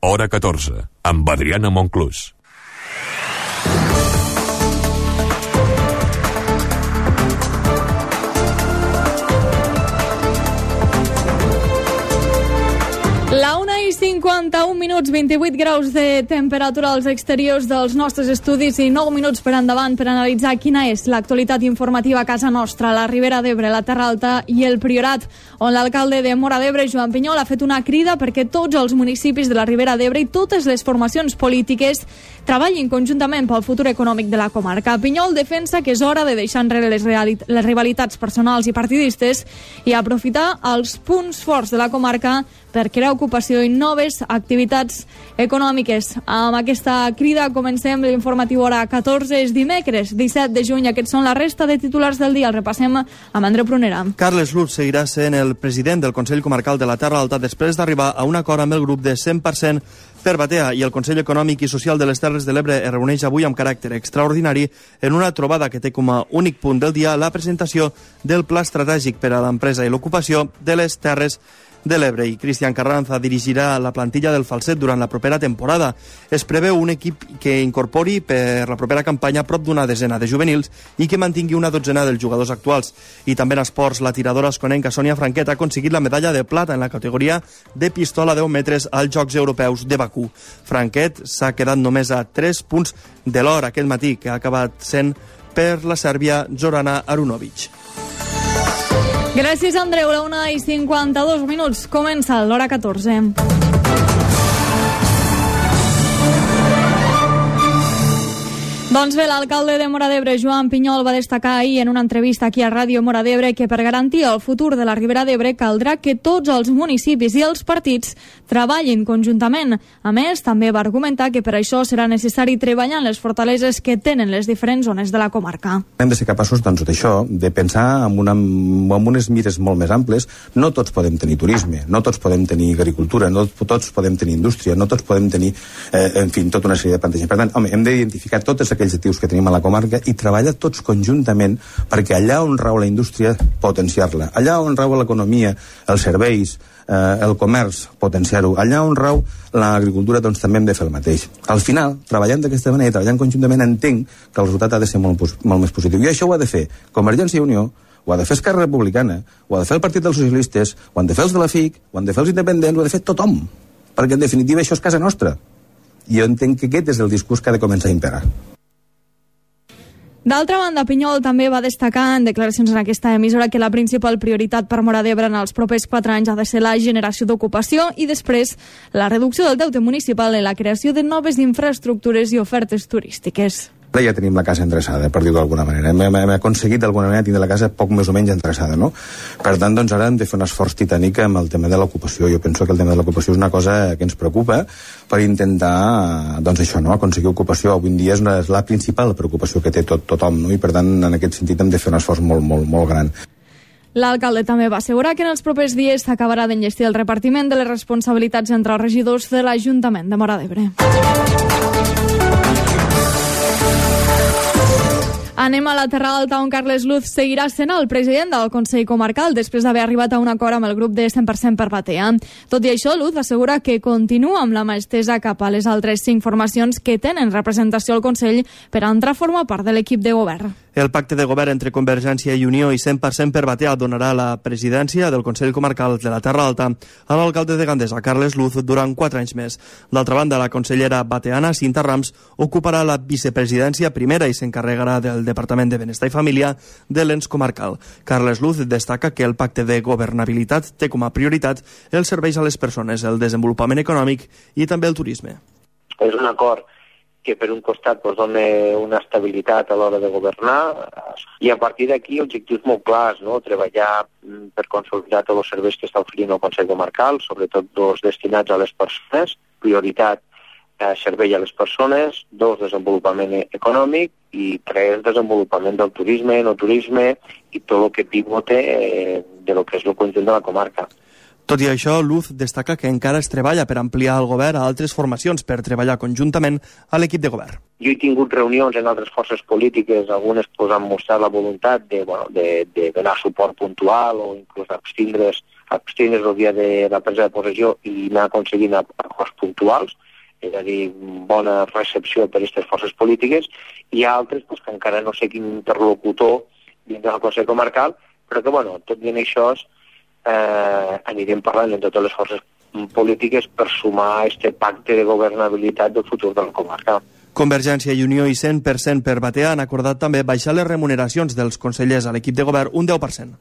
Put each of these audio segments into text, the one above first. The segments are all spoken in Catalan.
Hora 14, amb Adriana Monclús. La 1:51, 28 graus de temperatura als exteriors dels nostres estudis i 9 minuts per endavant per analitzar quina és l'actualitat informativa a casa nostra, la Ribera d'Ebre, la Terra Alta i el Priorat, on l'alcalde de Móra d'Ebre, Joan Pinyol, ha fet una crida perquè tots els municipis de la Ribera d'Ebre i totes les formacions polítiques treballin conjuntament pel futur econòmic de la comarca. Pinyol defensa que és hora de deixar enrere les rivalitats personals i partidistes i aprofitar els punts forts de la comarca per crear ocupació i noves activitats econòmiques. Amb aquesta crida comencem l'informatiu hora 14, és dimecres 17 de juny. Aquests són la resta de titulars del dia. El repassem amb Andreu Prunera. Carles Luz seguirà sent el president del Consell Comarcal de la Terra Alta després d'arribar a un acord amb el grup de 100% per Batea, i el Consell Econòmic i Social de les Terres de l'Ebre es reuneix avui amb caràcter extraordinari en una trobada que té com a únic punt del dia la presentació del Pla Estratègic per a l'Empresa i l'Ocupació de les Terres de l'Ebre. I Cristian Carranza dirigirà la plantilla del Falset durant la propera temporada. Es preveu un equip que incorpori per la propera campanya prop d'una desena de juvenils i que mantingui una dotzena dels jugadors actuals. I també en esports, la tiradora esconenca Sònia Franquet ha aconseguit la medalla de plata en la categoria de pistola a 10 metres als Jocs Europeus de Bakú. Franquet s'ha quedat només a 3 punts de l'or aquell matí, que ha acabat sent per la sèrbia Zorana Arunovic. Gràcies, Andreu. La 1:52. Comença l'hora 14. Doncs bé, l'alcalde de Móra d'Ebre, Joan Pinyol, va destacar ahir en una entrevista aquí a Ràdio Móra d'Ebre que per garantir el futur de la Ribera d'Ebre caldrà que tots els municipis i els partits treballin conjuntament. A més, també va argumentar que per això serà necessari treballar en les fortaleses que tenen les diferents zones de la comarca. Hem de ser capaços, doncs, d'això, de pensar amb unes mires molt més amples. No tots podem tenir turisme, no tots podem tenir agricultura, no tots podem tenir indústria, no tots podem tenir, en fi, tota una sèrie de plantejaments. Per tant, home, hem d'identificar totes aquells actius que tenim a la comarca i treballar tots conjuntament perquè allà on rau la indústria, potenciar-la. Allà on rau l'economia, els serveis, el comerç, potenciar-ho. Allà on rau l'agricultura, doncs també hem de fer el mateix. Al final, treballant d'aquesta manera, treballant conjuntament, entenc que el resultat ha de ser molt més positiu. I això ho ha de fer Convergència i Unió, ho ha de fer Esquerra Republicana, ho ha de fer el Partit dels Socialistes, ho han de fer els de la FIC, ho han de fer els independents, ho ha de fer tothom. Perquè, en definitiva, això és casa nostra. I jo entenc que aquest és el discurs que ha de començar a imperar. D'altra banda, Pinyol també va destacar en declaracions en aquesta emissora que la principal prioritat per Móra d'Ebre en els propers 4 anys ha de ser la generació d'ocupació i després la reducció del deute municipal i la creació de noves infraestructures i ofertes turístiques. Ja tenim la casa endreçada, per dir-ho d'alguna manera. Hem aconseguit d'alguna manera tindre la casa poc més o menys endreçada, no? Per tant, doncs ara hem de fer un esforç titànic amb el tema de l'ocupació. Jo penso que el tema de l'ocupació és una cosa que ens preocupa per intentar, doncs això, no? Aconseguir ocupació. Avui en dia és la principal preocupació que té tothom, no? I per tant, en aquest sentit hem de fer un esforç molt gran. L'alcalde també va assegurar que en els propers dies s'acabarà d'enllestir el repartiment de les responsabilitats entre els regidors de l'Ajuntament de Móra d'Ebre. Anem a la Terra Alta, on Carles Luz seguirà sent el president del Consell Comarcal després d'haver arribat a un acord amb el grup de 100% per Batea. Tot i això, Luz assegura que continua amb la mà estesa cap a les altres 5 formacions que tenen representació al Consell per entrar a formar part de l'equip de govern. El pacte de govern entre Convergència i Unió i 100% per Batea donarà la presidència del Consell Comarcal de la Terra Alta a l'alcalde de Gandesa, Carles Luz, durant 4 anys més. D'altra banda, la consellera bateana, Cinta Rams, ocuparà la vicepresidència primera i s'encarregarà del Departament de Benestar i Família de l'ens comarcal. Carles Luz destaca que el pacte de governabilitat té com a prioritat els serveis a les persones, el desenvolupament econòmic i també el turisme. És un acord que per un costat dona una estabilitat a l'hora de governar i a partir d'aquí objectius molt clars, no? Treballar per consolidar tots els serveis que està oferint el Consell Comarcal, sobretot 2 destinats a les persones, prioritat servei a les persones, 2 desenvolupament econòmic i 3 desenvolupament del turisme, no turisme i tot el que pivote de lo que és el conjunt de la comarca. Tot i això, Luz destaca que encara es treballa per ampliar el govern a altres formacions per treballar conjuntament a l'equip de govern. Jo he tingut reunions en altres forces polítiques, algunes han mostrat la voluntat de donar suport puntual o inclús abstindre's abstindre's el dia de la presa de possessió i anar aconseguint acords puntuals, és a dir, bona recepció per a aquestes forces polítiques. Hi ha altres que encara no sé quin interlocutor dins del Consell Comarcal, però que, bueno, tot i en això anirem parlant amb totes les forces polítiques per sumar a aquest pacte de governabilitat del futur de la comarca. Convergència i Unió i 100% per Batea han acordat també baixar les remuneracions dels consellers a l'equip de govern un 10%.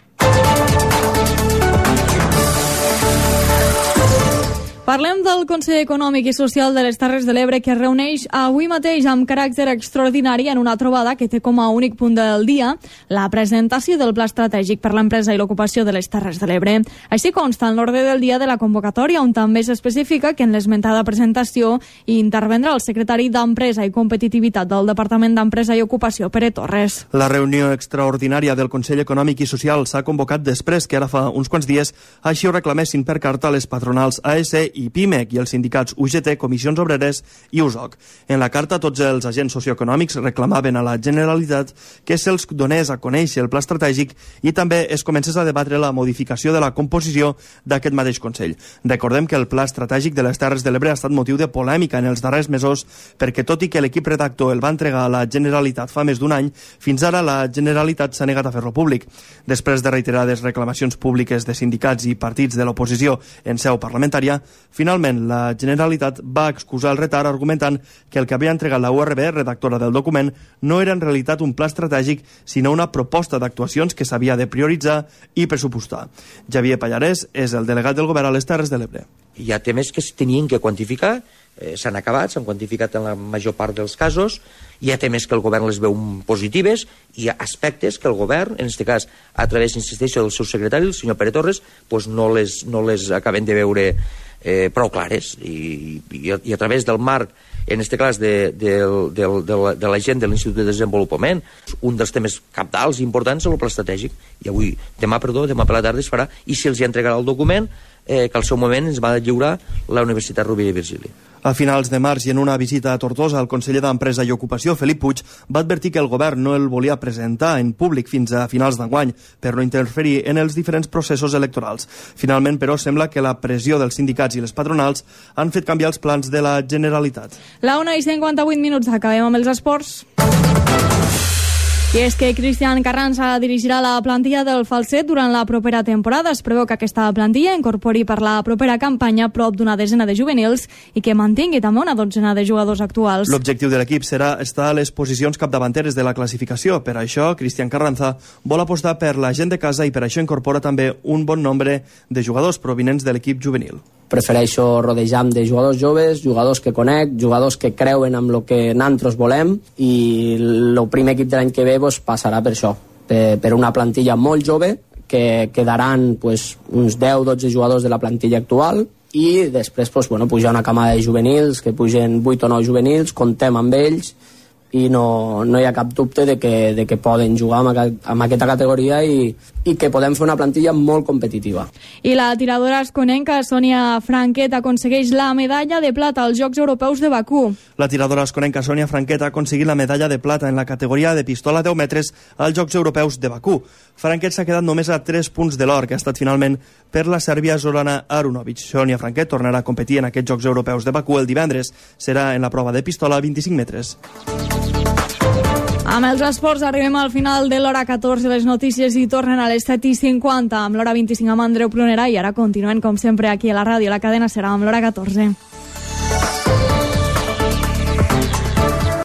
Parlem del Consell Econòmic i Social de les Terres de l'Ebre, que es reuneix avui mateix amb caràcter extraordinari en una trobada que té com a únic punt del dia la presentació del Pla Estratègic per l'Empresa i l'Ocupació de les Terres de l'Ebre. Així consta en l'ordre del dia de la convocatòria, on també s'especifica que en l'esmentada presentació hi intervendrà el secretari d'Empresa i Competitivitat del Departament d'Empresa i Ocupació, Pere Torres. La reunió extraordinària del Consell Econòmic i Social s'ha convocat després que ara fa uns quants dies així ho reclamessin per carta les patronals AS i PIMEC i els sindicats UGT, Comissions Obreres i USOC. En la carta, tots els agents socioeconòmics reclamaven a la Generalitat que se'ls donés a conèixer el pla estratègic i també es comencés a debatre la modificació de la composició d'aquest mateix Consell. Recordem que el pla estratègic de les Terres de l'Ebre ha estat motiu de polèmica en els darrers mesos perquè, tot i que l'equip redactor el va entregar a la Generalitat fa més d'un any, fins ara la Generalitat s'ha negat a fer-lo públic. Després de reiterades reclamacions públiques de sindicats i partits de l'oposició en seu parlamentària, finalment, la Generalitat va excusar el retard argumentant que el que havia entregat la URB, redactora del document, no era en realitat un pla estratègic, sinó una proposta d'actuacions que s'havia de prioritzar i pressupostar. Javier Pallarès és el delegat del govern a les Terres de l'Ebre. Hi ha temes que es tenien que quantificar, s'han acabat, s'han quantificat en la major part dels casos, hi ha temes que el govern les veu positives, i hi ha aspectes que el govern, en aquest cas, a través, insisteixo, del seu secretari, el senyor Pere Torres, pues no les acaben de veure prou clares, i a través del marc, en aquest cas de la gent de l'Institut de Desenvolupament, un dels temes cabdals i importants és el pla estratègic, i demà per la tarda es farà, i si els hi entregarà el document que al seu moment ens va lliurar la Universitat Rovira i Virgili. A finals de març i en una visita a Tortosa, el conseller d'Empresa i Ocupació, Felip Puig, va advertir que el govern no el volia presentar en públic fins a finals d'enguany per no interferir en els diferents processos electorals. Finalment, però, sembla que la pressió dels sindicats i les patronals han fet canviar els plans de la Generalitat. La 1:58, acabem amb els esports. I és que Cristian Carranza dirigirà la plantilla del Falset durant la propera temporada. Es preveu que aquesta plantilla incorpori per la propera campanya prop d'una desena de juvenils i que mantingui també una dotzena de jugadors actuals. L'objectiu de l'equip serà estar a les posicions capdavanteres de la classificació. Per això, Cristian Carranza vol apostar per la gent de casa i per això incorpora també un bon nombre de jugadors provinents de l'equip juvenil. Prefereixo rodejar-me de jugadors joves, jugadors que conec, jugadors que creuen en el que nosaltres volem, i el primer equip de l'any que ve passarà per això, per una plantilla molt jove, que quedaran uns 10-12 jugadors de la plantilla actual, i després pujar una camada de juvenils, que pugen 8 o 9 juvenils, contem amb ells, i no hi ha cap dubte de que poden jugar amb aquesta categoria i que podem fer una plantilla molt competitiva. I la tiradora asconenca Sònia Franquet aconsegueix la medalla de plata als Jocs Europeus de Bakú. La tiradora asconenca Sònia Franquet ha aconseguit la medalla de plata en la categoria de pistola 10 metres als Jocs Europeus de Bakú. Franquet s'ha quedat només a 3 punts de l'or, que ha estat finalment per la sèrbia Zorana Arunovic. Sònia Franquet tornarà a competir en aquests Jocs Europeus de Bakú el divendres. Serà en la prova de pistola a 25 metres. Amb els esports arribem al final de l'hora 14. Les notícies hi tornen a les 7:50 amb l'hora 25 amb Andreu Plonera, i ara continuem com sempre aquí a la ràdio. La cadena serà amb l'hora 14.